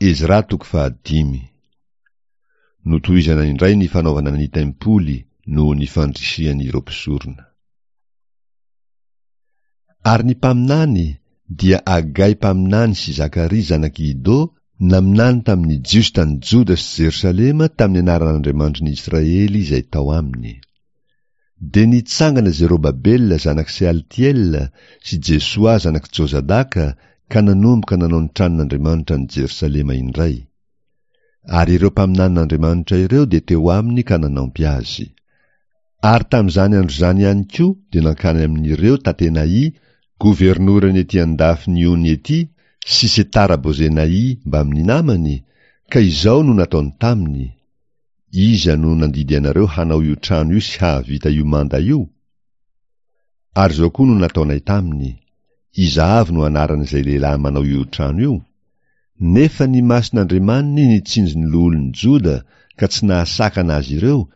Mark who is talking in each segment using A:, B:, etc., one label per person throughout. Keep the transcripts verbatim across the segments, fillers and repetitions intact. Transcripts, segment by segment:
A: Ezra toko fahadimy. Notohizana indray ny fanaovana ny tempoly noho ny fandrisihan'ireo mpisorona. Ary ny mpaminany dia Agay mpaminany sy Zakaria zanak'i Ido naminany tamin'ny Jiosy tany Joda sy Jerosalema tamin'ny anaran'Andriamanitry ny Israely izay tao aminy. Dia nitsangana Zerobabela zanak'i Sealtiela sy Jesoa zanak'i Jozadaka ka nanomboka nanao ny tranon'Andriamanitra any Jerosalema indray. Ary ireo mpaminanin'Andriamanitra ireo dia teo aminy ka nanampy azy. Ary tamin'izany andro izany ihany koa dia nankany amin'ireo Tatenai, governorany ety an-dafin'ny ony ety, sy Setara-Bozenai mbamin'ny namany, ka izao no nataony taminy: Iza no nandidy anareo hanao io trano io sy hahavita io manda io? Ary izao koa no nataonay taminy: Iza avy no anaran'izay lehilahy manao io trano io? Nefa ny mason'Andriamaniny nitsinjo ny loholon'ny Joda ka tsy nahasakana azy ireo,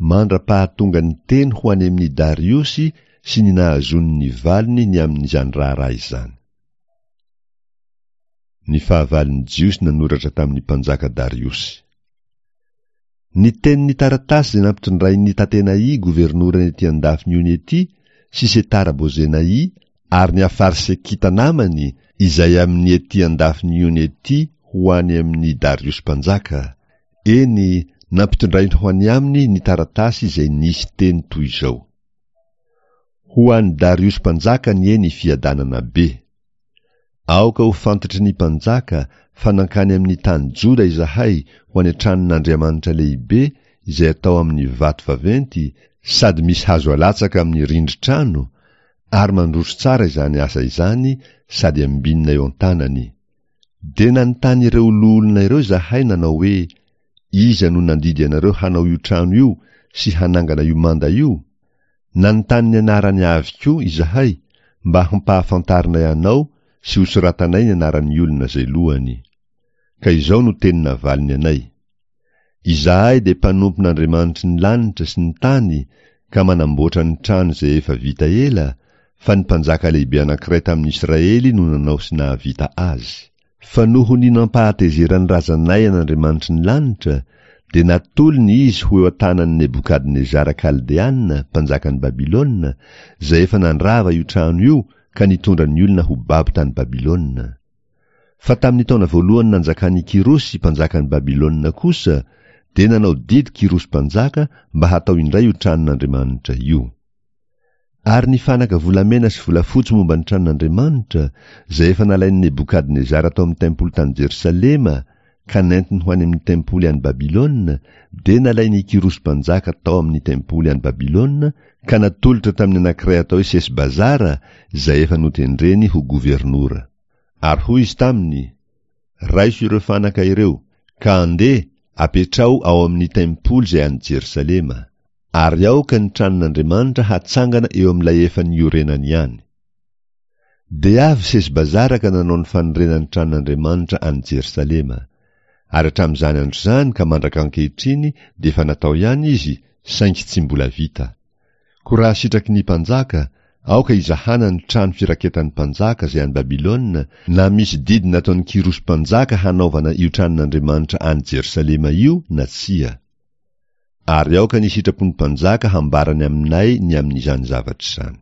A: mandra-pahatonga ny teny ho any amin'i Dariosy sy ny nahazoany ny valiny ny amin'izany raharaha izany. Ny fahavalon'ny Jiosy nanoratra tamin'ny mpanjaka Dariosy. Ny tenin'ny taratasy izay nampitondrain'ny Tatenai governorany ety an-dafin'ny ony ety sy Setara-Bozenai ary ny Afarsekita namany izay amin'ny ety an-dafin'ny ony ety ho any amin'i Dariosy mpanjaka. Eny, nampitondrainy ho any aminy ny taratasy izay nisy teny toy izao: Ho an'i Dariosy mpanjaka anie ny fiadanana be. Aoka ho fantatry ny mpanjaka fa nankany amin'ny tany Joda izahay ho any an-tranon'Andriamanitra lehibe izay atao amin'ny vato vaventy sady misy hazo alatsaka amin'ny rindrin-trano, ary mandroso tsara izany asa izany sady ambinina eo an-tanany. Dia nanontany ireo loholona ireo izahay nanao hoe: Iza no nandidy anareo hanao io trano io sy hanangana io manda io? Nanontany ny anarany avy koa izahay mba hampahafantarinay anao sy hosoratanay ny anaran'ny olona izay lohany. Ka izao no teny navaliny anay: Izahay dia mpanompon'Andriamanitry ny lanitra sy ny tany ka manamboatra ny trano izay efa vita ela, fa ny mpanjaka lehibe anankiray tamin'ny Israely no nanao sy nahavita azy. Fa noho ny nampahatezeran'ny razanay an'Andriamanitry ny lanitra, dia natolony izy ho eo an-tanan'i Nebokadnezara Kaldeana, mpanjakan'i Babylona, izay efa nandrava io trano io ka nitondra ny olona ho babo tany Babylona. Fa tamin'ny taona voalohany nanjakan'i Kyrosy mpanjakan'i Babylona kosa, dia nanao didy Kyrosy mpanjaka mba hatao indray io tranon'Andriamanitra io. Ary ny fanaka volamena sy volafotsy momba ny tranon'Andriamanitra, izay efa nalain'i Nebokadnezara tao amin'ny tempoly tany Jerosalema ka nentiny ho any amin'ny tempoly any Babylona, dia nalain'i Kyrosy mpanjaka tao amin'ny tempoly any Babylona ka natolotra tamin'ny anankiray atao hoe Sesbazara izay efa notendreny ho governora. Ary hoy izy taminy: Raiso ireo fanaka ireo, ka andeha apetraho ao amin'ny tempoly izay any Jerosalema, ary aoka ny tranon'Andriamanitra hatsangana eo amin'ilay efa niorenany ihany. Dia avy Sesbazara ka nanao ny fanorenan'ny tranon'Andriamanitra any Jerosalema. Ary hatramin'izany andro izany ka mandraka ankehitriny dia efa natao ihany izy, saingy tsy mbola vita. Koa raha sitraky ny mpanjaka, aoka hizahana ny trano firaketan'ny mpanjaka izay any Babylona, na misy didy nataon'i Kyrosy mpanjaka hanaovana io tranon'Andriamanitra any Jerosalema io na tsia. Ary aoka ny sitrapon'ny mpanjaka hambarany aminay ny amin'izany zavatra izany.